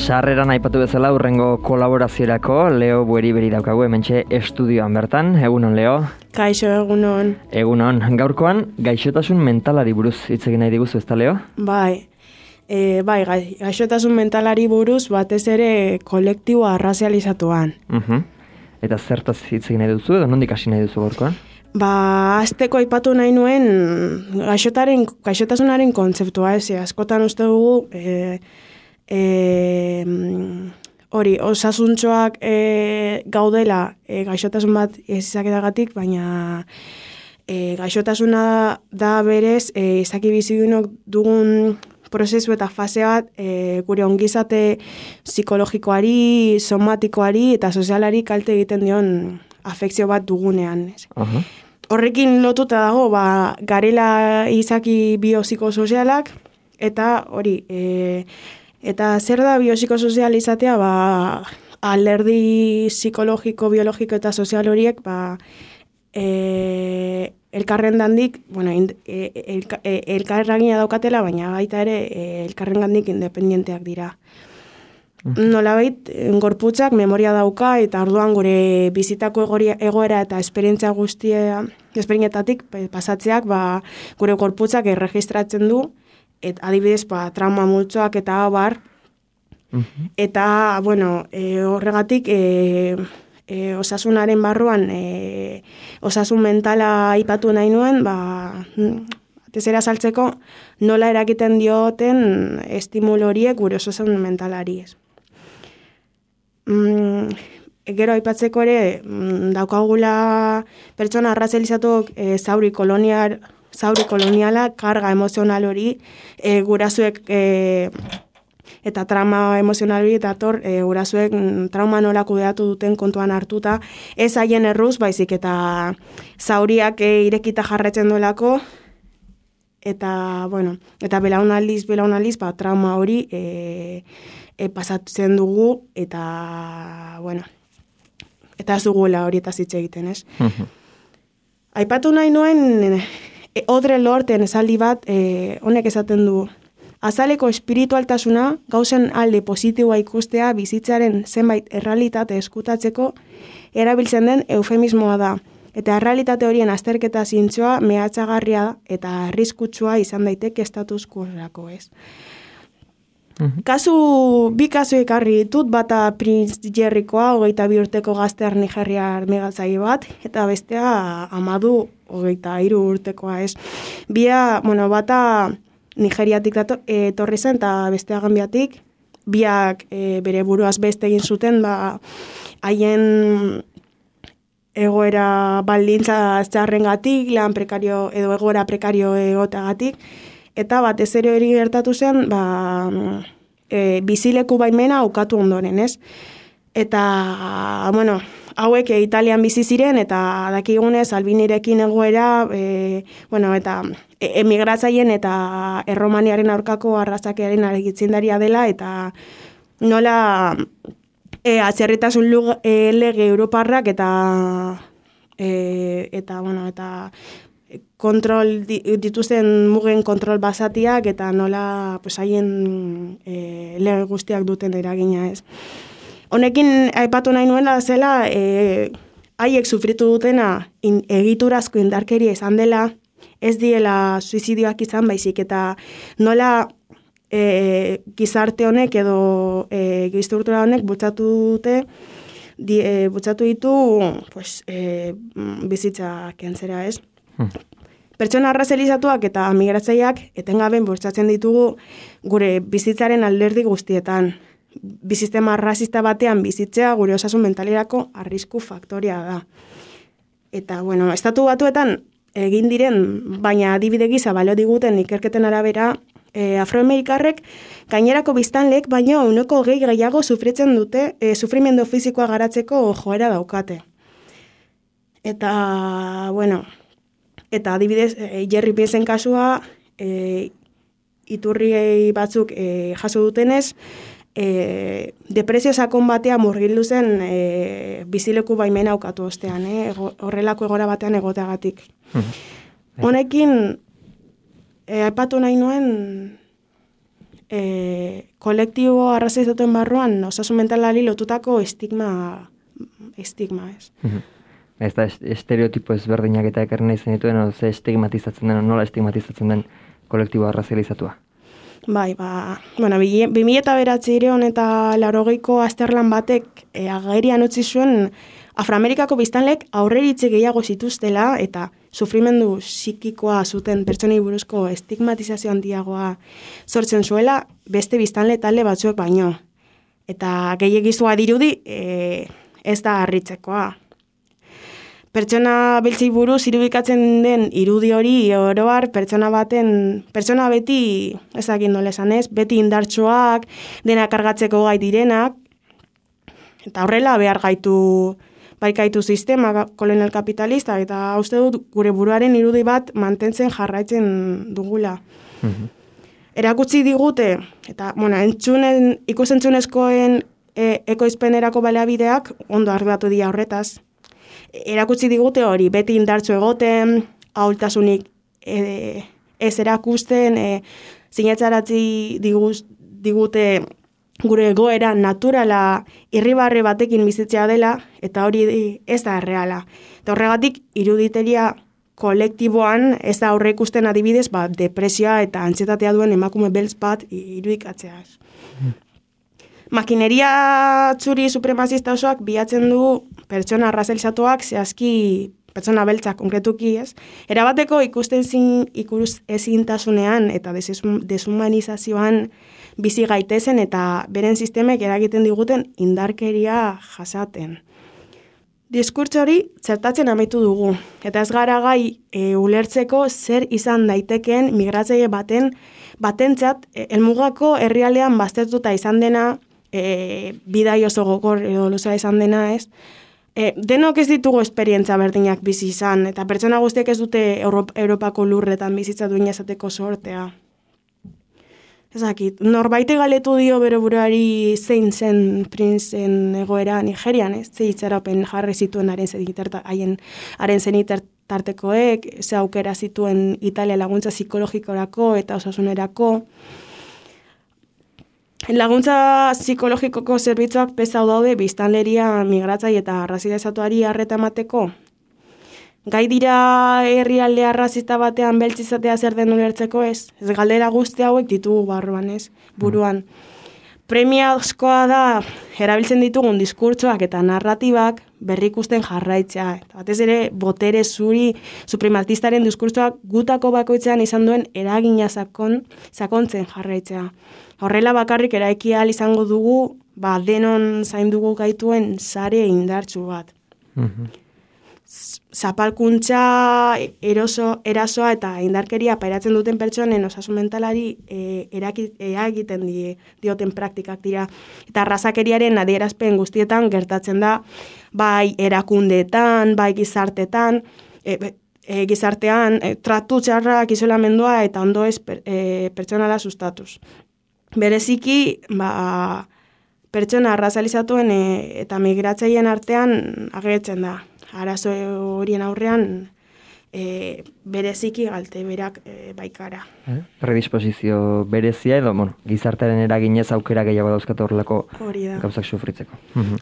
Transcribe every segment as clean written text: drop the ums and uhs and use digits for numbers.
Sarreran aipatu bezala urrengo kolaboraziorako Leo Bueri daukagu hementxe estudioan bertan. Egunon, Leo? Kaixo, egunon. Egunon. Gaurkoan, gaixotasun mentalari buruz hitz egin nahi diguzu, ezta, Leo? Bai, gaixotasun mentalari buruz batez ere kolektiboa arrazializatuan. Eta zertaz hitz egin nahi duzu edo nondik hasi nahi duzu gaurkoan? Azteko aipatu nahi nuen gaixotasunaren kontzeptua ez, askotan uste dugu hori, osasuntxoak gaudela gaixotasun bat izaketagatik, baina gaixotasuna da berez izaki bizidunok dugun prozesu eta fase bat gure ongizate psikologikoari, somatikoari eta sozialari kalte egiten dion afekzio bat dugunean. Horrekin lotuta dago, garela izaki biopsikosozialak, eta hori, eta zer da biopsikosozial izatea, alderdi psikologiko, biologiko eta sozial horiek, elkarrengandik, elkarragina daukatela, baina baita ere elkarrengandik independenteak dira. Nolabait, gorputzak memoria dauka eta orduan gure bizitako egoera eta esperientatik pasatzeak gure gorputzak erregistratzen du, adibidez trauma multzoak eta abar, eta horregatik osasunaren barruan osasun mentala aipatu nahi nuen, atezera saltzeko nola erakiten dioten estimulu horiek gure osasun mentalari ez. Gero aipatzeko ere daukagula pertsona arrazializatuak zauri koloniala, karga emozional hori, gurasoek eta trauma emozional hori, eta gurasoek trauma nola kudeatu duten kontuan hartuta, ez haien erruz, baizik eta zauriak irekita jarretzen duelako, eta belaunaldiz, trauma hori pasatzen dugu, eta eta ez dugula hori eta zitze egiten, ez? Aipatu nahi nuen Audre Lorden esaldi bat, honek esaten du, azaleko espiritualtasuna gauzen alde positiboa ikustea bizitzaren zenbait errealitate eskutatzeko erabiltzen den eufemismoa da, eta errealitate horien azterketa zintzoa mehatxagarria eta arriskutsua izan daiteke status quo-rako, ez? Bi kasu ekarri ditut, bata Prince Jerrykoa, 22 urteko gaztear nigeriar megatzaile bat, eta bestea Amadu, 23 urtekoa, ez. Bata Nigeriatik etorri zen, eta bestea Gambiatik, biak bere buruaz beste egin zuten, haien egoera baldintza txarrengatik, lan prekario edo egoera prekario egoteagatik, eta batez ere hori gertatu zen, bizileku baimena ukatu ondoren, ez? Eta, hauek Italian bizi ziren, eta dakigunez Albinirekin egoera, eta emigratzaien eta Erromaniaren aurkako arrazakearen argitzindaria dela, eta nola atzerritasun lege europarrak eta kontrol dituzten mugen kontrol basatiak eta nola haien lege guztiak duten eragina, ez. Honekin aipatu nahi nuela zela haiek sufritu dutena egiturazko indarkeria izan dela, ez diela suizidioak izan baizik, eta nola gizarte honek edo gizturtura honek bultzatu ditu bizitza kentzera, ez. Pertsona arrazializatuak eta migratzaileak etengaben bultzatzen ditugu gure bizitzaren alderdi guztietan. Bizistema arrazista batean bizitzea gure osasun mentalerako arrisku faktoria da. Eta, estatu batuetan egin diren, baina adibide gisa balio diguten ikerketen arabera, afroamerikarrek gainerako biztanleek baino 20% gehiago sufritzen dute, sufrimendu fisikoa garatzeko joera daukate. Eta, eta adibidez, Jerry Piensen kasua, iturri batzuk jaso dutenez, depresio sakon batean murgildu zen bizileku baimena ukatu ostean, horrelako egora batean egoteagatik. Honekin, aipatu nahi nuen kolektibo arrazizatuen barruan osasun mentalari lotutako estigma ez. Ez da estereotipo ezberdinak eta ekarri nahi zenituen, ze estigmatizatzen den, nola estigmatizatzen den kolektibo arrazializatua? Bai, 2009 eta 80ko azterlan batek agerian utzi zuen Afroamerikako biztanlek aurreritze gehiago zituztela eta sufrimendu psikikoa zuten pertsonei buruzko estigmatizazio handiagoa sortzen zuela beste biztanle talde batzuek baino. Eta gehiegizua dirudi ez da harritzekoa. Pertsona beltzei buruz irudikatzen den irudi hori oroar pertsona beti, ezakin nola esan ez, beti indartsuak, dena kargatzeko gai direnak, eta horrela behar baikaitu sistema kolonial kapitalista, eta uste dut gure buruaren irudi bat mantentzen jarraitzen dugula. Erakutsi digute, eta ikusentzunezkoen ekoizpenerako baliabideak ondo arduratu dira horretaz. Erakutsi digute hori, beti indartsu egoten, ahultasunik ez erakusten, sinetzaratzi digute gure egoera naturala irribarre batekin bizitzea dela, eta hori ez da erreala. Eta horregatik, iruditeria kolektiboan ez da aurre ikusten adibidez, depresioa eta antsietatea duen emakume beltz bat irudikatzea. Makineria txuri supremazista osoak bilatzen du pertsona arrazalizatuak zehazki pertsona beltzak konkretuki ez. Erabateko ikusten ezintasunean eta deshumanizazioan bizi gaitezen eta beren sistemek eragiten diguten indarkeria jasaten. Diskurtso hori txertatzen amaitu dugu, eta ez gara gai ulertzeko zer izan daitekeen migratzaile batentzat helmugako herrialdean baztertuta izan dena, bidai oso gogor edo luzea izan dena ez. Denok ez ditugu esperientza berdinak bizi izan, eta pertsona guztiek ez dute Europako lurretan bizitza duina esateko sortea. Ezakit, norbaite galetu dio bere buruari zein zen printzen egoera Nigerian, ez? Ze itxaropen jarri zituen haren zenitertartekoek, ze aukera zituen Italia laguntza psikologikorako eta osasunerako. Laguntza psikologikoko zerbitzuak pesau daude biztanleria migratzaile eta arrazilizatuari arreta emateko. Gai dira herrialde arrazista batean beltzizatea zer den ulertzeko ez? Ez galdera guzti hauek ditugu barruan ez, buruan. Premiazkoa da erabiltzen ditugun diskurtsoak eta narratibak berrikusten jarraitzea. Batez ere, botere zuri suprematistaren diskurtsoak gutako bakoitzean izan duen eragina sakontzen jarraitzea. Horrela bakarrik eraiki ahal izango dugu, denon zaindugu gaituen sare indartsu bat. Zapalkuntza, erasoa eta indarkeria pairatzen duten pertsonen osasun mentalari eragiten dioten praktikak dira. Eta arrazakeriaren adierazpen guztietan gertatzen da, bai erakundeetan, bai gizartean, tratu txarrak, isolamendua eta ondo ez pertsonala sustatuz. Bereziki, pertsona arrazalizatuen eta migratzaileen artean agertzen da. Arazo horien aurrean bereziki galte berak baikara. Predisposizio berezia edo, gizartearen eraginez aukera gehiago dauzkatu horrelako gauzak sufritzeko.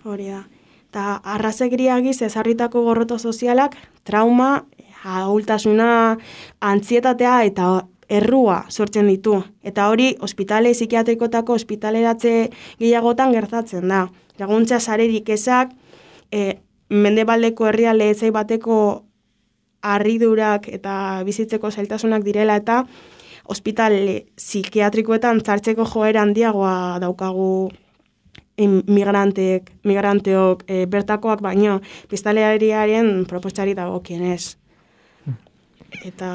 Hori da. Eta arrazegiagiz ezarritako gorroto sozialak, trauma, ahultasuna, antzietatea eta errua sortzen ditu. Eta hori ospitale psikiatrikotako ospitaleratze gehiagotan gertatzen da. Laguntza sarerik ezak, mendebaldeko herrialde ezai bateko harridurak eta bizitzeko zailtasunak direla eta ospitale psikiatrikoetan zartzeko joera handiagoa daukagu migranteok bertakoak baino biztanleriaren proposari dagokienez. Eta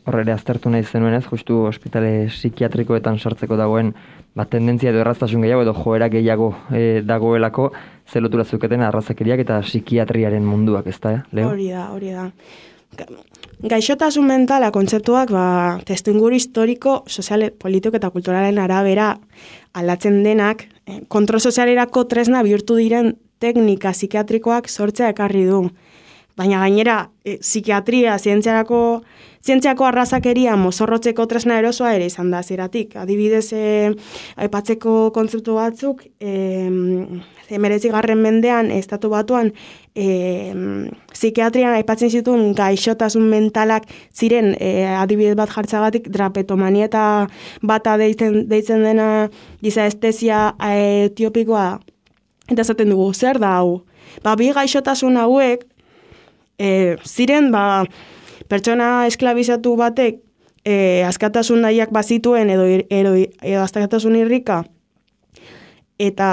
horrela aztertu nahi zenuenez, justu ospitale psikiatrikoetan sartzeko dagoen tendentzia edo erraztasun gehiago edo joera gehiago dagoelako, ze lotura zeuketen arrazakeriak eta psikiatriaren munduak, ez da, Leo? Hori da. Gaixotasun mentala kontzeptuak testuinguru historiko, sozial, politiko eta kulturalen arabera aldatzen denak, kontrol sozialerako tresna bihurtu diren teknika psikiatrikoak sortzea ekarri du. baina gainera psikiatria, zientziako arrazakeria mozorrotzeko tresna erosoa ere izan da zeratik. Adibidez, aipatzeko kontzeptu batzuk, 19. mendean, estatu batuan, psikiatrian aipatzen zituen gaixotasun mentalak ziren adibidez bat jartzagatik drapetomania eta bata deitzen dena giza estesia etiopikoa. Eta esaten dugu, zer da hau? Bi gaixotasun hauek ziren pertsona esklabizatu batek askatasun nahiak bazituen edo askatasun irrika eta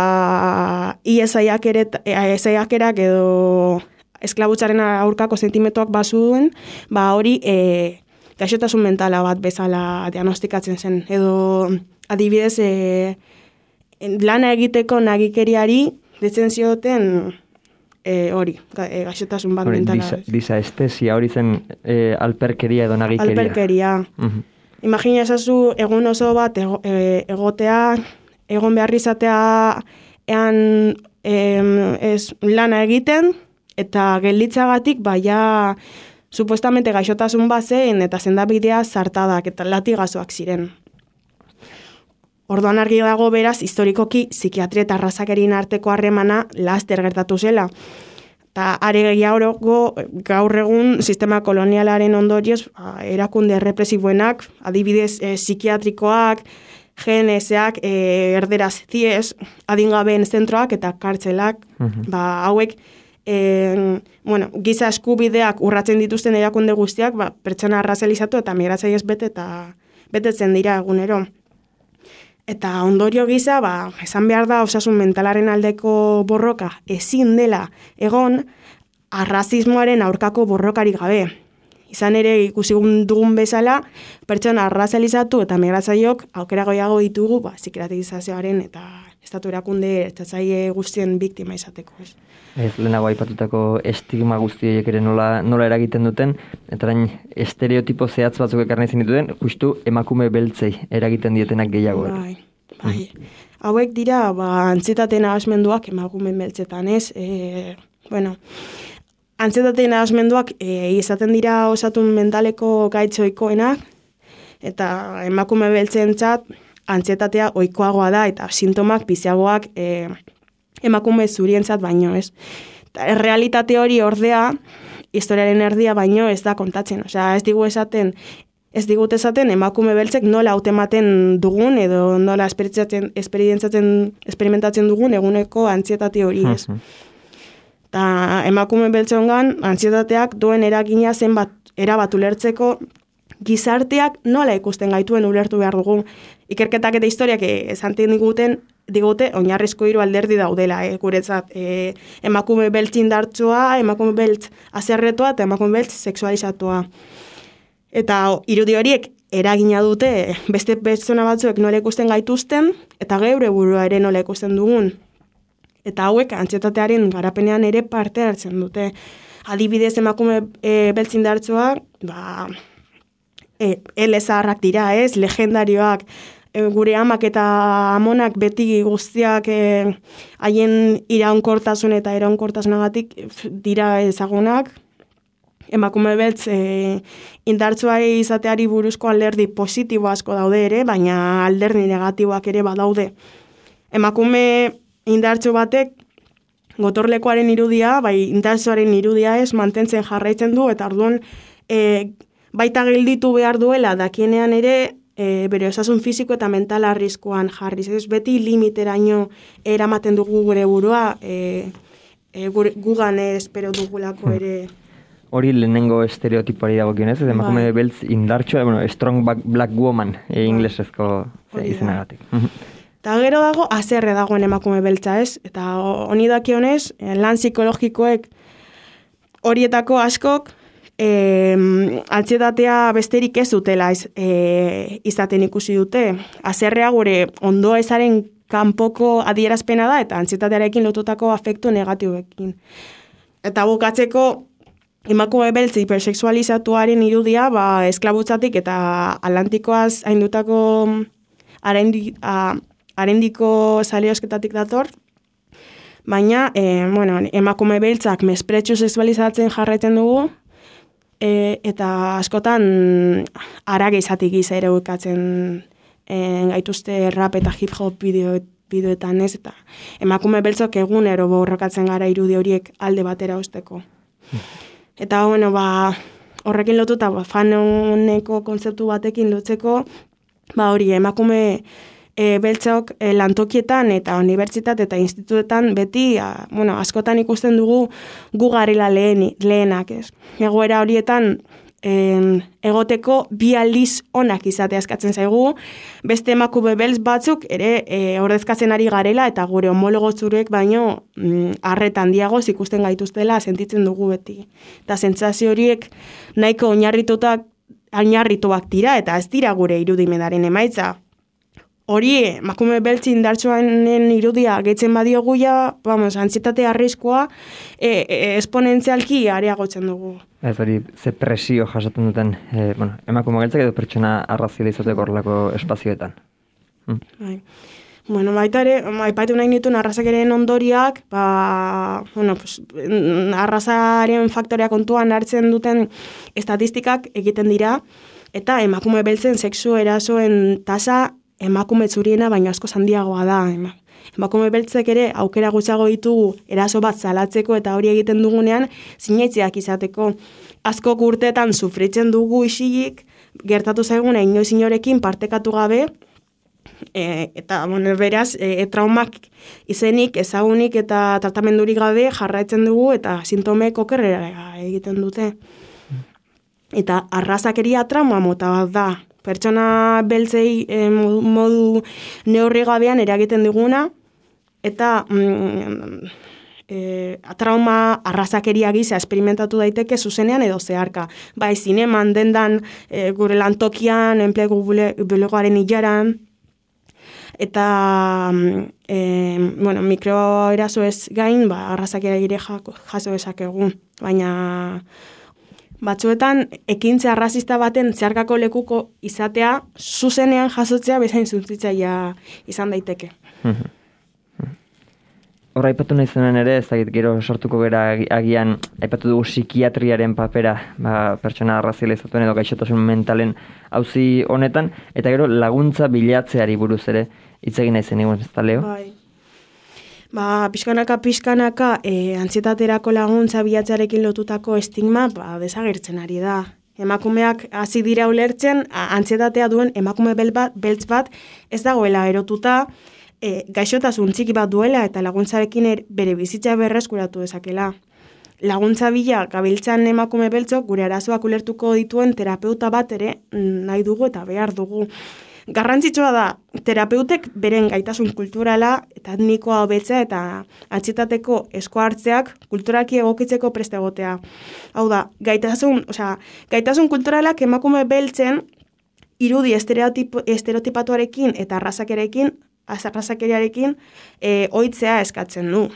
iesaiakerak edo esklabutzaren aurkako sentimentuak bazuen, hori gaixotasun mentala bat bezala diagnostikatzen zen. Edo adibidez lana egiteko nagikeriari ditzen zioten hori, gaixotasun bat mentala. Disestesia hori zen alperkeria edo nagikeria. Alperkeria. Imagina esazu egun oso bat egotea, egon behar izatea lana egiten, eta gelditzagatik supuestamente gaixotasun bat zen eta sendabidea zartadak eta latigazoak ziren. Orduan argi dago beraz, historikoki psikiatria eta arrazakerien arteko harremana laster gertatu zela. Eta are gehiago gaur egun sistema kolonialaren ondorioz erakunde represiboenak, adibidez psikiatrikoak, GNS-ak, erderaz CIES, adingabeen zentroak eta kartzelak, hauek giza eskubideak urratzen dituzten erakunde guztiak, pertsona arrazalizatu eta migratzaileez betetzen dira egunero. Eta ondorio gisa, esan behar da osasun mentalaren aldeko borroka ezin dela egon arrazismoaren aurkako borrokari gabe. Izan ere ikusi dugun bezala, pertsona arrazalizatu eta migratzaileok aukera gehiago ditugu psikiatrizazioaren eta estatu erakunde ertzaile guztien biktima izateko. Lehenago aipatutako estigma guztiek ere nola eragiten duten, eta orain estereotipo zehatz batzuk ekarri zenituen, justu emakume beltzei eragiten dietenak gehiago. Bai. Hauek dira, antsietate nahasmenduak emakume beltzetan, ez? Antsietate nahasmenduak izaten dira osatun mentaleko gaitz ohikoenak, eta emakume beltzentzat antsietatea ohikoagoa da, eta sintomak biziagoak emakume zurientzat baino, ez? Errealitate hori ordea, historiaren erdia baino ez da kontatzen. Osea, ez digut esaten emakume beltzek nola hautematen dugun edo nola esperimentatzen dugun eguneko antsietate hori, ez? Eta emakume beltzongan antsietateak duen eragina zenbat erabat ulertzeko gizarteak nola ikusten gaituen ulertu behar dugu. Ikerketak eta historiak esanten digute oinarrizko 3 alderdi daudela, guretzat. Emakume beltz indartsua, emakume beltz haserretua eta emakume beltz sexualizatua. Eta irudi horiek eragina dute beste pertsona batzuek nola ikusten gaituzten eta geure burua ere nola ikusten dugun. Eta hauek antsietatearen garapenean ere parte hartzen dute. Adibidez emakume beltz indartsua, elezaharrak dira, ez, legendarioak, gure amak eta amonak beti guztiak haien iraunkortasun eta iraunkortasunagatik dira ezagunak. Emakume beltz indartsuari izateari buruzko alderdi positibo asko daude ere, baina alderdi negatiboak ere badaude. Emakume indartsu batek gotorlekuaren irudia, indartsuaren irudia ez mantentzen jarraitzen du, eta orduan baita gelditu behar duela dakienean ere bere osasun fisiko eta mental arriskuan jarriz. Ez beti limiteraino eramaten dugu gure burua, gugan espero dugulako ere. Hori lehenengo estereotipoari dagokionez, ez emakume beltz indartsua, strong black woman inglesezko izenagatik. Eta gero dago, haserre dagoen emakume beltza, ez? Eta honi dakionez, lan psikologikoek horietako askok antsietatea besterik ez dutela izaten ikusi dute. Haserrea gure ondoa ezaren kanpoko adierazpena da, eta antsietatearekin lotutako afektu negatiboekin. Eta bukatzeko, emakume beltz hipersexualizatuaren irudia, esklabutzatik eta Atlantikoaz haindutako arendiko saliosketatik dator, Baina, emakume beltzak mespretxu sexualizatzen jarraitzen dugu, eta askotan arage izatik giza ere ukatzen gaituzte rap eta hip-hop bideoetan ez, eta emakume beltzok egunero borrokatzen gara irudi horiek alde batera usteko. Eta, horrekin lotuta, fan honeko kontzeptu batekin lotzeko, hori emakume beltzok lantokietan eta unibertsitate eta institutetan beti, askotan ikusten dugu gu garela lehenak, ez. Egoera horietan egoteko bi aldiz onak izatea eskatzen zaigu, beste emakume beltz batzuk ere ordezkatzen ari garela eta gure homologo zurek baino arreta handiagoz ikusten gaituztela sentitzen dugu beti. Eta sentsazio horiek nahiko oinarrituak dira eta ez dira gure irudimenaren emaitza. Hori, emakume beltzi indartsuanen irudia gehitzen badiogu antsietate arriskua esponentzialki areagotzen dugu. Ez hori, ze presio jasaten duten emakume beltzak edo pertsona arrazializateko horrelako espazioetan. Bai. Baita ere, aipatu nahi nituen arrazakeren ondoriak, arrazaren faktorea kontuan hartzen duten estatistikak egiten dira, eta emakume beltzen sexu erasoen tasa emakume zuriena baino asko handiagoa da. Emakume beltzek ere aukera gutxiago ditugu eraso bat salatzeko eta hori egiten dugunean sinaitziak izateko. Asko urteetan sufritzen dugu isilik, gertatu zaiguna inoiz inorekin partekatu gabe, eta beraz, traumak izenik, ezagunik eta tratamendurik gabe jarraitzen dugu eta sintomek okerrera egiten dute. Eta arrazakeria trauma mota bat da. Pertsona beltzei modu neurri gabean eragiten diguna, eta trauma arrazakeria gisa esperimentatu daiteke zuzenean edo zeharka. Bai, zineman, dendan, gure lantokian, enplegu bulegoaren ilaran, eta mikroeraso ez gain, arrazakeria ere jaso esakegu. Baina batzuetan, ekintza arrazista baten zeharkako lekuko izatea, zuzenean jasotzea bezain suntzitzaia izan daiteke. Horra aipatu nahi zenuen ere, ez dakit gero sortuko gara agian, aipatu dugu psikiatriaren papera, pertsona arrazializatuen edo gaixotasun mentalen auzi honetan, eta gero laguntza bilatzeari buruz ere, hitz egin nahi zen egun, ez da, Leo? Bai. Pixkanaka, antsietaterako laguntza bilatzearekin lotutako estigma, desagertzen ari da. Emakumeak hasi dira ulertzen, antsietatea duen emakume beltz bat ez dagoela erotuta, gaixotasun txiki bat duela eta laguntzarekin bere bizitza berreskuratu dezakela. Laguntza bila gabiltzan emakume beltzok gure arazoak ulertuko dituen terapeuta bat ere nahi dugu eta behar dugu. Garrantzitsua da, terapeutek beren gaitasun kulturala eta etnikoa hobetzea eta antsietateko esku hartzeak kulturalki egokitzeko preste egotea. Hau da, gaitasun kulturalak emakume beltzen irudi estereotipatuarekin eta arrazakeriarekin ohitzea eskatzen du.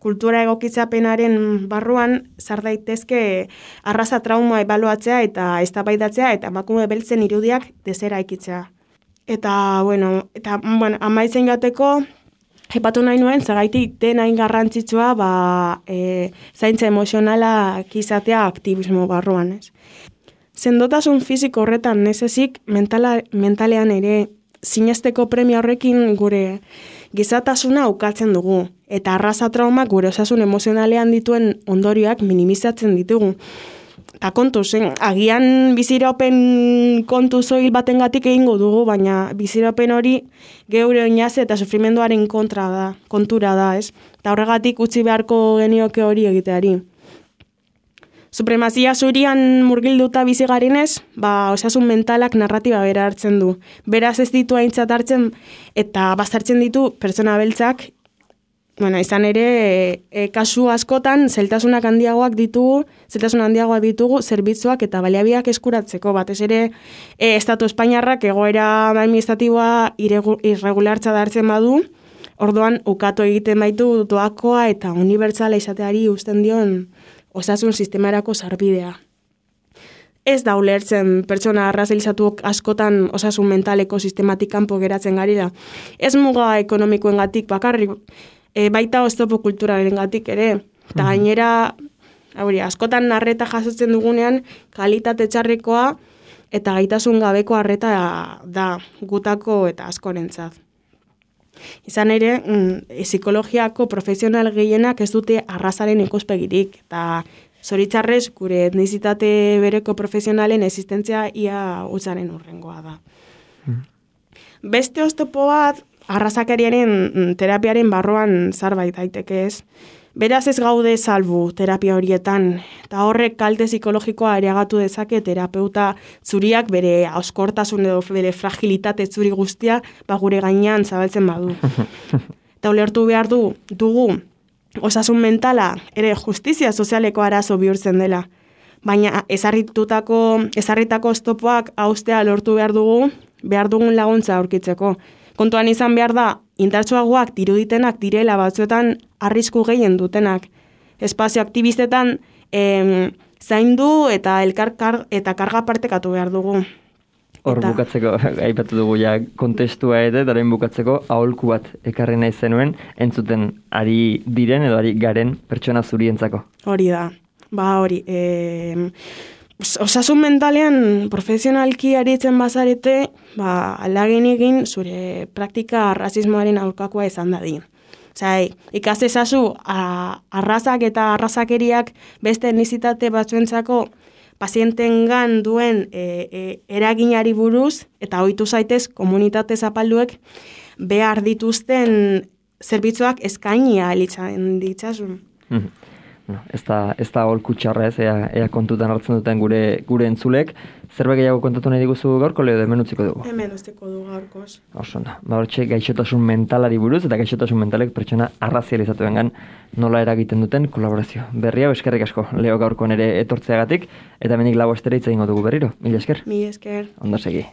Kultura egokitzapenaren barruan sar daitezke arraza trauma ebaluatzea eta eztabaidatzea eta emakume beltzen irudiak deseraikitzea. Eta amaitzen joateko, aipatu nahi nuen, zagaitik denain garrantzitsua zaintza emozionalak izatea aktivismo barruan, ez. Sendotasun fisiko horretan nezezik mentalean ere sinesteko premia horrekin gure gizatasuna ukatzen dugu, eta arraza trauma gure osasun emozionalean dituen ondorioak minimizatzen ditugu. Eta kontuz, agian bizirapen kontu zoil batengatik egingo dugu, baina bizirapen hori geure oinaze eta sufrimenduaren kontura da, ez? Eta horregatik utzi beharko genioke hori egiteari. Supremazia zurian murgilduta bizi garenez, osasun mentalak narratiba bera hartzen du. Beraz ez ditu aintzat hartzen eta baztertzen ditu pertsona beltzak. Izan ere, kasu askotan, zeltasun handiagoak ditugu zerbitzuak eta baliabideak eskuratzeko. Batez ere, Estatu Espainiarrak egoera administratiboa irregulartza da hartzen badu, orduan ukatu egiten baitu doakoa eta unibertsala izateari uzten dion osasun sistemarako sarbidea. Ez da ulertzen pertsona arrazilizatuak askotan osasun mentaleko sistematik kanpo geratzen garela. Ez muga ekonomikoengatik bakarrik, baita oztopo kulturarengatik ere. Eta gainera, askotan arreta jasotzen dugunean, kalitate txarrekoa eta gaitasun gabeko arreta da gutako eta askorentzat. Izan ere, psikologiako profesional gehienak ez dute arrazaren ikuspegirik, eta zoritzarrez gure etnizitate bereko profesionalen existentzia ia utzaren urrengoa da. Beste oztopo bat, arrazakeriaren terapiaren barruan zarbait daiteke ez. Beraz ez gaude salbu terapia horietan, eta horrek kalte psikologikoa areagatu dezake terapeuta zuriak bere auskortasun edo bere fragilitate zuri guztia gure gainean zabaltzen badu. Eta ulertu behar dugu osasun mentala ere justizia sozialeko arazo bihurtzen dela. Baina ezarritako oztopoak haustea lortu behar dugun laguntza aurkitzeko. Kontuan izan behar da, indartsuagoak diruditenak direla batzuetan arrisku gehien dutenak. Espazio aktibistetan zaindu eta karga partekatu behar dugu. Hor bukatzeko, aipatu dugu ja kontestua ere, daren bukatzeko aholku bat ekarri nahi zenuen, entzuten ari diren edo ari garen pertsona zurientzako. Hori da, hori. Osasun mentalean profesionalki aritzen bazarete, aldagin egin zure praktika arrazismoaren aurkakoa izan dadin. Ikas ezazu arrazak eta arrazakeriak beste etnizitate batzuentzako pazientengan duen eraginari buruz, eta ohitu zaitez komunitate zapalduek behar dituzten zerbitzuak eskainia elitzen ditzasun. Ez da aholku txarra ez, ea kontutan hartzen duten gure entzulek. Zerbait gehiago kontatu nahi diguzu gaurko, Leo, hemen utziko dugu? Hemen utziko dugu gaurkoz. Oso da, hortxe gaixotasun mentalari buruz, eta gaixotasun mentalek pertsona arrazializatuengan nola eragiten duten kolaborazio. Berri hau eskerrik asko, Leo, gaurko nere etortzeagatik, eta hemenik lau astera hitz egingo dugu berriro. Mila esker. Mila esker. Ondo segi.